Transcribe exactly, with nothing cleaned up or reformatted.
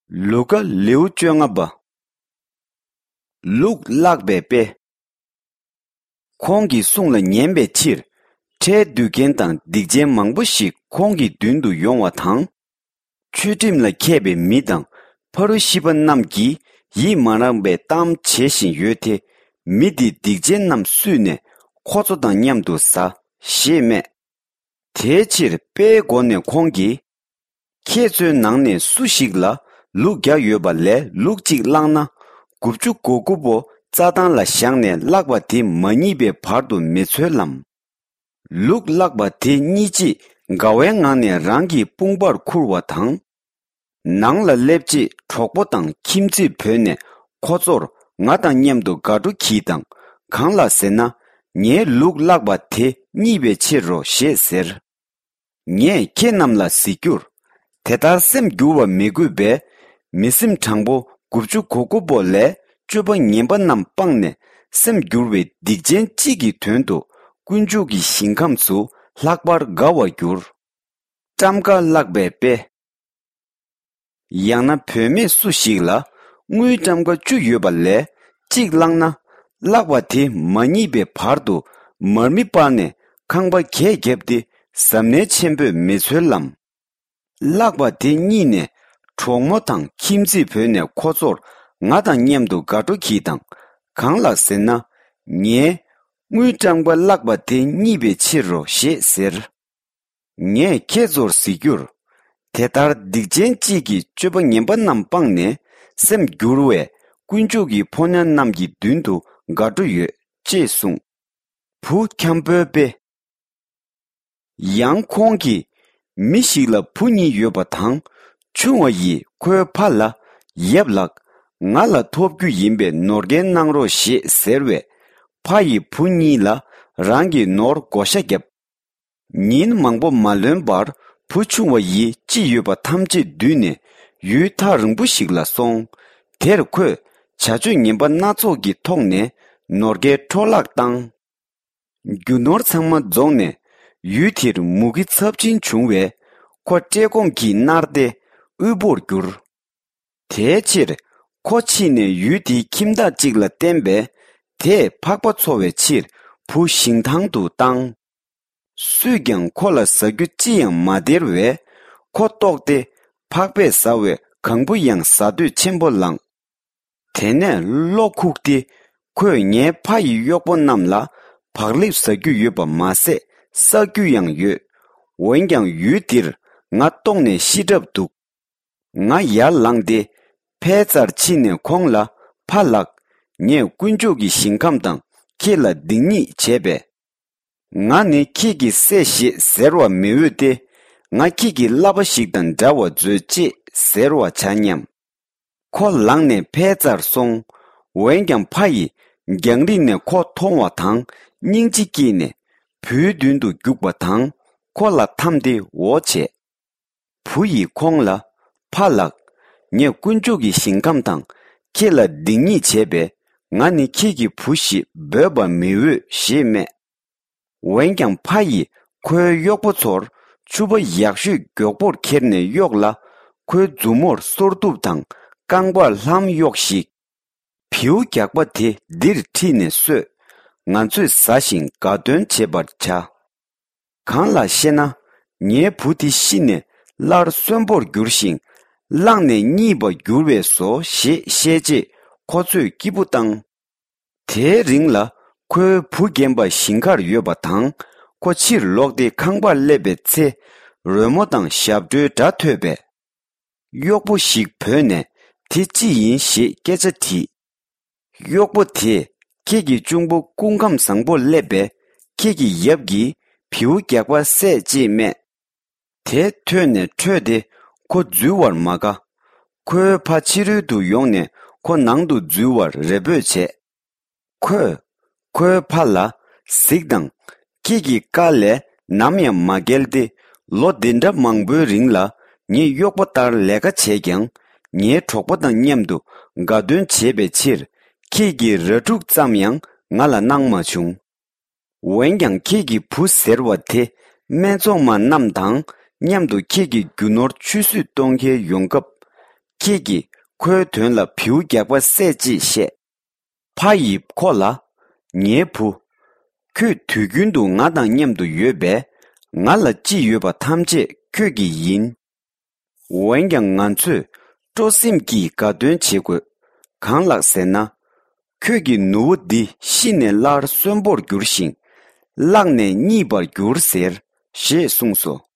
ལུ་ཀ། ལེའུ་བཅོ་ལྔ་པ། ལུག་བརླག་པའི་དཔེ། ཁོང་གི་གསུང་ལ་ཉན་པའི་ཕྱིར། ཁྲལ་བསྡུ་མཁན་དང་སྡིག་ཅན་མང་པོ་ཞིག་ཁོང་གི་མདུན་དུ་ཡོང་བ་དང་། ཆོས་ཁྲིམས་ལ་མཁས་པའི་མི་དང་ཕ་རུ་ཤི་པ་རྣམས་ཀྱིས་ཡིད་མ་རངས་པའི་གཏམ་བྱེད་བཞིན་ཡོད་དེ། མི་འདིས་སྡིག་ཅན་རྣམས་བསུས་ནས་ཁོ་ཚོ་དང་མཉམ་དུ་ཟ། ཞེས་སྨྲས། དེའི་ཕྱིར་དཔེའི་སྒོ་ནས་ཁོང་གིས། ཁྱེད་ཚོའི་ནང་ནས་སུ་ཞིག་ལ་ལུག་བརྒྱ་ཡོད་པ་ལས་ལུག་གཅིག་བརླག་ན། དགུ་བཅུ་གོ་དགུ་པོ་རྩྭ་ཐང་ལ་བཞག་ནས་བརླག་པ་དེ་མ་རྙེད་པའི་བར་དུ་མི་འཚོལ་ལམ། ལུག་བརླག་པ་དེ་རྙེད་རྗེས་དགའ་བའི་ངང་ནས་རང་གི་དཔུང་པར་འཁུར་བ་དང་། ནང་ལ་སླེབས་རྗེས་གྲོགས་པོ་དང་ཁྱིམ་མཚེས་བོས་ནས་ཁོ་ཚོར། ང་དང་མཉམ་དུ་དགའ་སྤྲོ་གྱིས་དང་། གང་ལགས་ཟེར་ན། ངའི་ལུག་བརླག་པ་དེ་རྙེད་པའི་ཕྱིར་རོ་ཞེས་ཟེར། ངས་ཁྱེད་རྣམས་ལ་ཟེར་རྒྱུར། དེ་ལྟར་སེམས་འགྱུར་བ་མི་དགོས་པས། མི་སེམས་དྲང་པོ་དགུ་བཅུ་གོ་དགུ་པོ་ལས་སྤྱོད་པ་ངན་པ་རྣམས་སྤངས་ནས། སེམས་འགྱུར་བའི་སྡིག་ཅན་གཅིག་གི་དོན་དུ་དཀོན་མཆོག་གི་ཞིང་ཁམས་སུ་ལྷག་པར་དགའ་བར་འགྱུར། ཊམ་ཀ་བརླག་པའི་དཔེ། ཡང་ན་བུད་མེད་སུ་ཞིག་ལ་དངུལ་ཊམ་ཀ་བཅུ་ཡོད་པ་ལས་གཅིག་བརླག་ན། བརླག་པ་དེ་མ་རྙེད་པའི་བར་དུ་མར་མེ་སྤར་ནས་ཁང་པ་གས་བརྒྱབ་སྟེ་གཟབ་ནན་ཆེན་པོས་མི་འཚོལ་ལམ། བརླག་པ་དེ་རྙེད་ནས་གྲོགས་མོ་དང་ཁྱིམ་མཚེས་བོས་ནས་ཁོ་ཚོར། ང་དང་མཉམ་དུ་དགའ་སྤྲོ་གྱིས་དང་། གང་ལགས་ཟེར་ན། ངའི་དངུལ་ཊམ་ཀ་བརླག་པ་དེ་རྙེད་པའི་ཕྱིར་རོ་ཞེས་ཟེར། ངས་ཁྱེད་ཚོར་ཟེར་རྒྱུར། དེ་ལྟར་སྡིག་ཅན་གཅིག་གིས་སྤྱོད་པ་ངན་པ་རྣམས་སྤངས་ནས་སེམས་འགྱུར་བས་དཀོན་མཆོག་གི་ཕོ་ཉ་རྣམས་ཀྱི་མདུན་དུ་དགའ་སྤྲོ་ཡོད། ཅེས་གསུངས། བུ་འཁྱམ་པོའི་དཔེ། ཡང་ཁོང་གིས། མི་ཞིག་ལ་བུ་གཉིས་ཡོད་པ་དང་། ཆུང་བ་ཡིས་ཁོའི་ཕ་ལ། ཡབ་ལགས། ང་ལ་ཐོབ་རྒྱུ་ཡིན་པའི་ནོར་སྐལ་གནང་རོགས་ཞེས་ཟེར་བས། ཕ་ཡིས་བུ་གཉིས་ལ་རང་གི་ནོར་བགོ་བཤའ་བརྒྱབ། ཉིན་མང་པོ་མ་ལོན་པར་བུ་ཆུང་བ་ཡིས་ཅི་ཡོད་པ་ཐམས་ཅད་བསྡུས་ནས་ཡུལ་ཐག་རིང་པོ་ཞིག་ལ་སོང་། དེར་ཁོས་བྱ་སྤྱོད་ངན་པ་སྣ་ཚོགས་ཀྱི་ཐོག་ནས་ནོར་སྐལ་འཕྲོ་བརླག་བཏང་། རྒྱུ་ནོར་ཚང་མ་རྫོགས་ནས་ཡུལ་དེར་མུ་གེ་ཚབས་ཆེན་བྱུང་བས། ཁོ་བཀྲེས་སྐོམ་གྱིས་མནར་ཏེ་དབུལ་པོར་གྱུར། དེའི་ཕྱིར་ཁོ་ཕྱིན་ནས་ཡུལ་དེའི་ཁྱིམ་བདག་ཅིག་ལ་བསྟན་པས། དེས་ཕག་པ་འཚོ་བའི་ཕྱིར་བུ་ཞིང་ཐང་དུ་བཏང་། སུས་ཀྱང་ཁོ་ལ་ཟ་རྒྱུ་ཅི་ཡང་མ་སྟེར་བས། ཁོ་ལྟོགས་ཏེ་ཕག་པས་ཟ་བའི་གང་བུ་ཡང་ཟ་འདོད་ཆེན་པོ་ལངས། དེ་ནས་བློ་ཁུག་སྟེ། ཁོས་ངའི་ཕ་ཡི་གཡོག་པོ་རྣམས་ལ་བག་ལེབ་ཟ་རྒྱུ་ཡོད་པ་མ་ཟད་བསག་རྒྱུ་ཡང་ཡོད། འོན་ཀྱང་ཡུལ་འདིར་ང་ལྟོགས་ནས་ཤི་གྲབས་འདུག། ང་ཡར་ལངས་ཏེ་ཕའི་རྩར་ཕྱིན་ནས་ཁོང་ལ། ཕ་ལགས། ངས་དཀོན་མཆོག་གི་ཞིང་ཁམས་དང་ཁྱེད་ལ་སྡིག་ཉེས་བྱས་པས། ང་ནི་ཁྱེད་ཀྱི་སྲས་ཞེས་ཟེར་བར་མི་འོས་ཏེ། ང་ཁྱེད་ཀྱི་བསླབ་པ་ཞིག་དང་འདྲ་བར་མཛོད་ཅེས་ཟེར་བར་བྱ་སྙམ། ཁོ་ལངས་ནས་ཕའི་རྩར་སོང་། འོན་ཀྱང་ཕ་ཡིས་རྒྱང་རིང་ནས་ཁོ་མཐོང་བ་དང་སྙིང་རྗེ་སྐྱེས་ནས་བུའི་མདུན་དུ་རྒྱུག་པ་དང་ཁོ་ལ་འཐམས་ཏེ་འོ་བྱས། བུ་ཡིས་ཁོང་ལ། ཕ་ལགས། ངས་དཀོན་མཆོག་གི་ཞིང་ཁམས་དང་ཁྱེད་ལ་སྡིག་ཉེས་བྱས་པས། ང་ནི་ཁྱེད་ཀྱི་བུ་ཞེས་འབོད་པར་མི་འོས་ཞེས་སྨྲས། འོན་ཀྱང་ཕ་ཡིས་ཁོའི་གཡོག་པོ་ཚོར་ཕྱུ་པ་ཡག་ཤོས་མགྱོགས་པོར་ཁྱེར་ནས་གཡོགས་ལ། ཁོའི་མཛུབ་མོར་སོར་གདུབ་དང་རྐང་པར་ལྷམ་གཡོགས་ཤིག། བེའུ་རྒྱགས་པ་དེ་འདིར་ཁྲིད་ནས་གསོད། ང་ཚོས་ཟ་ཞིང་དགའ་སྟོན་བྱེད་པར་བྱ། གང་ལགས་ཤེ་ན། ངའི་བུ་དེ་ཤི་ནས་སླར་གསོན་པོར་འགྱུར་ཞིང་། བླངས་ནས་རྙེད་པར་འགྱུར་བས་སོ་ཞེས་བཤད་རྗེས་ཁོ་ཚོས་སྐྱིད་པོ་བཏང་། དེའི་རིང་ལ་ཁོའི་བུ་རྒན་པ་ཞིང་ཁར་ཡོད་པ་དང་ཁོ་ཕྱིར་ལོག་སྟེ་ཁང་པར་སླེབས་པའི་ཚེ། རོལ་མོ་དང་ཞབས་བྲོའི་སྒྲ་ཐོས་པས། གཡོག་པོ་ཞིག་བོས་ནས་དེ་ཅི་ཡིན་ཞེས་སྐད་ཆ་དྲིས། གཡོག་པོ་དེས་ཁྱེད་ཀྱི་གཅུང་པོ་སྐུ་ཁམས་བཟང་པོར་སླེབས་པས་ཁྱེད་ཀྱི་ཡབ་ཀྱིས་བེའུ་རྒྱགས་པ་བསད་ཅེས་སྨྲས། དེ་ཐོས་ནས་ཁྲོས་ཏེ་ཁོ་འཛུལ་བར་མ་དགའ། ཁོའི་ཕ་ཕྱི་རོལ་དུ་ཡོང་ནས་ཁོ་ནང་དུ་འཛུལ་བར་རེ་འབོད་བྱས། ཁོས་ཁོའི་ཕ་ལ། གཟིགས་དང་། ཁྱེད་ཀྱི་བཀའ་ལས་ནམ་ཡང་མ་འགལ་ཏེ། ལོ་འདི་འདྲ་མང་པོའི་རིང་ལ་ངས་གཡོག་པོ་ལྟར་ལས་ཀ་བྱས་ཀྱང་། ངའི་གྲོགས་པོ་དང་མཉམ་དུ་དགའ་སྟོན་བྱེད་པའི་ཕྱིར། ཁྱེད་ཀྱི་ར་ཕྲུག་ཙམ་ཡང་ང་ལ་གནང་མ་བྱུང་། འོན་ཀྱང་ཁྱེད་ཀྱི་བུ་ཟེར་བ་དེ་སྨད་འཚོང་མ་རྣམས་དང་མཉམ་དུ་ཁྱེད་ཀྱི་རྒྱུ་ནོར་ཆུད་ཟོས་གཏོང་གལ་ཡོང་སྐབས། ཁྱེད་ཀྱིས་ཁོའི་དོན་ལ་བེའུ་རྒྱགས་པ་བསད་ཅེས་བཤད། ཕ་ཡིས་ཁོ་ལ། ངའི་བུ། ཁྱོད་དུས་རྒྱུན་དུ་ང་དང་མཉམ་དུ་ཡོད་པས། ང་ལ་ཅི་ཡོད་པ་ཐམས་ཅད་ཁྱོད་ཀྱི་ཡིན། འོན་ཀྱང་ང་ཚོས་སྤྲོ་སེམས་ཀྱིས་དགའ་སྟོན་བྱེད་དགོས། གང་ལགས་ཟེར་ན། ཁྱོད་ཀྱི་ནུ་བོ་འདི་ཤི་ནས་སླར་གསོན་པོར་འགྱུར་ཞིང་། བརླགས་ནས་རྙེད་པར་འགྱུར་ཟེར། ཞེས་གསུངས་སོ།